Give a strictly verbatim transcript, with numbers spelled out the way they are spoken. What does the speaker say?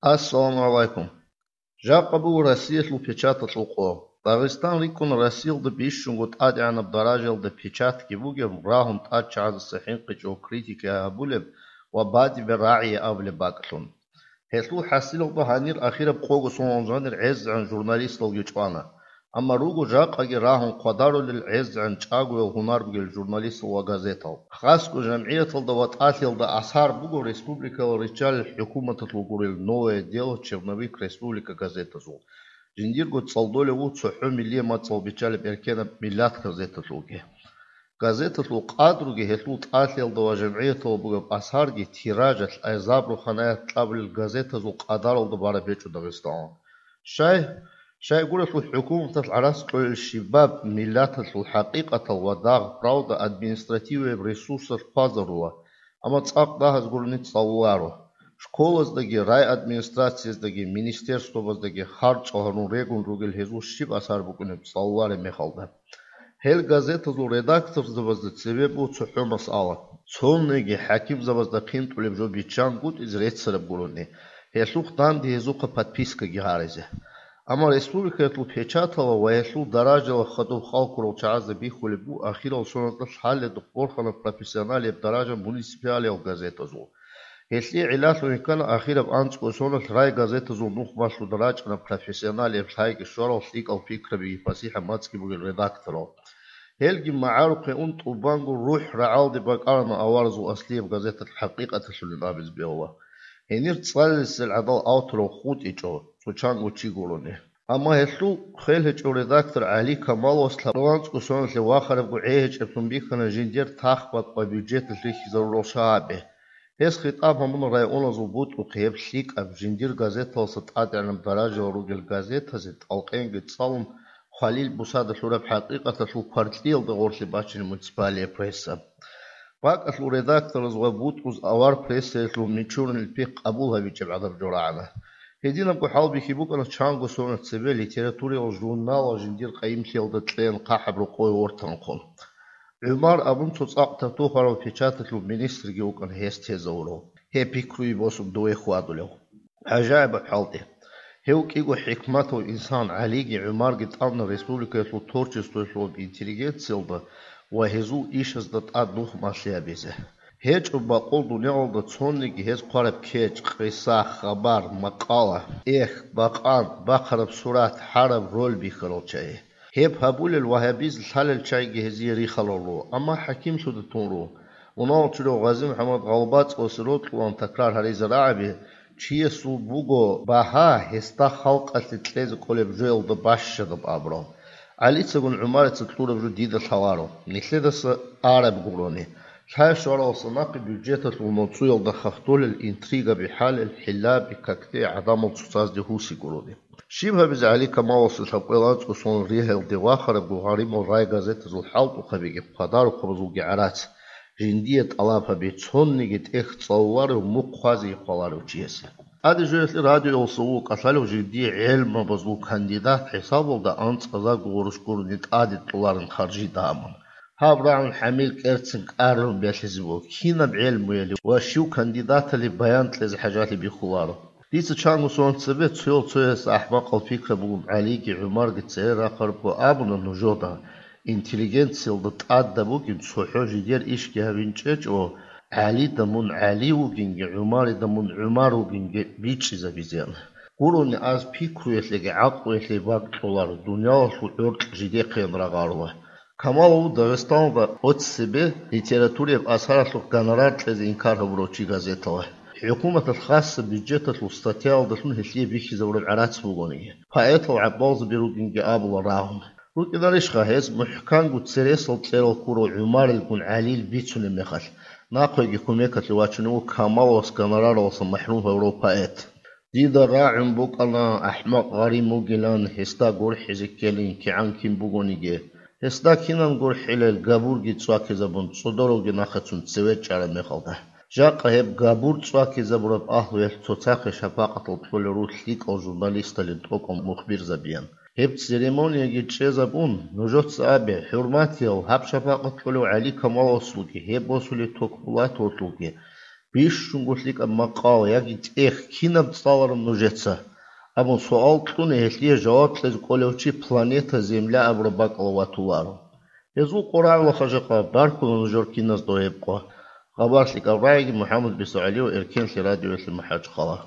Ассаламу гӀалайкум. Жакъа буго Россиялъул печаталъул къо. Дагъистан рикӀкӀуна Россиялда бищунго тӀадегӀанаб даражаялда печатги бугеб, рагьун тӀадчагӀаздаса хӀинкъичӀого критика гьабулеб ва бадибе рагӀи абулеб бакӀлъун. Гьелъул хӀасилалда гьанир ахираб къого соналъ жанир гӀезегӀан журналисталги чӀвана. Амма руго жакъаги рагьун хъвадарулел гӀезегӀан чӀагоял гьунар бугел журналистал ва газетал. Хасго жамгӀияталда ва тӀалъиялда асар буго республикалал риччалел хӀукуматалъул гурел «Новое дело», «Черновик», «Республика» газетазул. Жиндирго цӀалдолев вуго цохӀо миллие мацӀал биччалеб «Эркенаб миллат» газеталъулги. Газеталъул къадруги гьелъул тӀалъиялда ва жамгӀияталда бугеб асарги тиражалъ, азаб-рухӀанаят кьабулел газетазул къадаралда бараб гьечӀо Дагъистаналда. Щай? Щайгурелъул хӀукуматалъ гӀарац кьолел щибаб миллаталъул хӀакъикъатал ва дагъ-правда административияб ресурсалъ хъвазарула, амма цӀакъ дагьаз гурони цӀалуларо. Школаздаги, райадминистрацияздаги, министерствабаздаги харцӀо гьарун регун ругел гьезул щиб асар букӀунеб цӀалулареб мехалда. Гьел газетазул редакторзабазда цебе буго цохӀо масъала. Цониги хӀакимзабазда хъинтӀулеб жо биччан гутӀизе реццараб гурони, гьелъухъ данде гьезухъа подпискаги гьаризе. Амма республикаялъул печатала ва гьелъул даражала хадуб хал ккурал чагӀазда бихьулеб буго ахирал соналда лъалеб борхана профессионалияб даража муниципалиял газетазул. Гьелъие гӀиллалъун йиккана ахираб анцӀго соналъ райгазетазул нухмалъуда рачӀана профессионалияб лъайги щварал лъикӀал пикрабиги пасихӀаб мацӀги бугел редакторал. Гьелги магӀарухъе ун тӀубанго рухӀ рагӀалде бакӀарана аваразул аслияб газеталъ хӀакъикъаталъулин абизе бегьула. Гьенир цӀалесел гӀадал авторал хутӀичӀо, цо чанго чи гурони. Амма гьелъул хвел гьечӀев редактор ГӀали Камаловас лъабаланцӀго соналъе вахарабго гӀей гьечӀеблъун бихьана жиндир тахбакъ ва бюджеталъ рихьизарурал шагьаби. Гьес хитӀаб гьабуна районазул бутӀрухъе гьеб лъикӀаб жиндир газеталъаса тӀадегӀанаб даражаялъ ругел газетазе тӀалкъенги цӀалун, хвалил бусада лъураб хӀакъикъаталъул кваркьиялда гъорлъе бачине муниципалия пресса. БакӀалъул редактораз ва бутӀруз авар прессаялъул мичурунел пихъ къабул гьабичӀеб гӀадаб жо рагӀана. Гьединабго хӀалбихьи букӀана чанго соналъ цебе литературиял журналал жиндир къайимлъиялда кьеян хъахӀаб рокъове вортанхъун. ГӀумар абун цо цӀакъ тату гьарав печаталъул министрги вукӀана гьес тезавурав, гьеб пикруе босун дове хьвадулев. ГӀажаибаб хӀалтӀи. Гьев кӀиго хӀикматав инсан ГӀалиги ГӀумарги тӀамна республикаялъул творчествоялъулаб интеллигенциялда ва гьезул ишазда тӀад нух малъи гьабизе. ГьечӀо бакъул дуниялалда цониги гьез хъвараб кечӀ, къиса, хабар, макъала, эх, бакъан, бахъараб сурат, хӀараб роль бихьарал чагӀи. Гьеб гьабулел ва гьабизе лъалел чагӀиги гьезие рихарал руго, амма хӀакимлъуда тун руго. Унал чурав ГъазимухӀаммад ГъалбацӀалъе рокьулаан такрар гьаризе рагӀаби, чиясул буго багьа гьесда халкъалъе кьезе кӀолеб жоялда бащадаб абурал. ГӀалицагун ГӀумарица кьураб жо дида лъаларо, нилъедаса араб гурони. Лъай-щваралдаса нахъе бюджеталъул моцӀуялда хахтолел интригаби, хӀалел хӀиллаби, какде гӀадамал цоцазде гьуси гурони. Щиб гьабизе ГӀали Камаловасда лъабкъоялда анцӀго соналъ ригьаялде вахарабго гъаримал райгазетазул хӀалтӀухъабиги хъвадарухъабазулги гӀарац, жиндие тӀалаб гьаби, цониги тӀехь цӀалуларев мухъ хъвазеги хъваларев чиясе. ТӀаде жоялъе радиоялдаса вуго кӀалъалев жиндие гӀелмабазул кандидат хӀисабалда анцӀазарго гъурущ гурони тӀаде кьоларин харжида абун. Гьаб рагӀун хӀамил кӀерцин кӀарлъун бялъизе буго, кинаб гӀелмуялъе ва щив кандидаталъе баян кьезе хӀажалъи бихьуларо. Дица чанго соналъ цебе цоял-цояс ахӀмакъал пикраб бугеб ГӀалиги ГӀумарги цере рахъарабго абуна нужеда, интеллигенциялда тӀадаб бугин цохӀо жидер ишги гьавинчӀечӀо, ГӀалида мун ГӀали вугинги, ГӀумарида мун ГӀумар вугинги бичӀчӀизабизеян. Гурони аз пикруялъеги гӀакълуялъеги бакӀ кьоларо, дуниялалъул гӀоркь жидехъеян рагъарула. Камалов Дагъистаналда оццебе литературияб асаралъухъ гонорар кьезе инкар гьабурав чи газетала. ХӀукуматалъ хасса бюджеталъул статьяялдалъун гьелъие бихьизабураб гӀарац бугониги, поэтал гӀапӀалзаби ругинги абула рагьун. РукӀинарищха гьез мухӀканго цересал кьерал ккурав ГӀумарилгун ГӀалил бицунеб мехалъ, нахъеги кумекалъе вачунев вуго Камаловас гонораралдаса махӀрум гьавурав поэт. Дида рагӀун букӀана, ахӀмакъ гъарим вугилан, гьесда гурхӀизе ккелин кигӀан кин бугониги. Гьесда кинан гурхӀилел, габурги цӀвакизабун, цӀодоравги нахъецун цеве чӀараб мехалда. Жакъа гьеб габур цӀвакизабураб агьлуялъ цоцахъе шапакъатал кьолел руго лъикӀал журналисталин тӀокӀал мухбирзабиян. Гьеб церемонияги чӀезабун, нужеца абе, хӀурматиял, гьаб шапакъат кьолев ГӀали Камаловасулги, гьеб босулев Токбулатовалъулги, Бищунго лъикӀаб макъал яги тӀех кинаб цӀалараб нужеца? Абун суал кьуна, гьелъие жаваб кьезе кӀолев чи планета Земля абураб бакӀалда ватуларо. Гьезул къорагӀалаха жакъа баркула нужер киназда гьеб къо. Хабар лъикӀаб рагӀиги, МухӀаммад БицегӀулиев, Эркенлъи радиоялъе МахӀачхъала.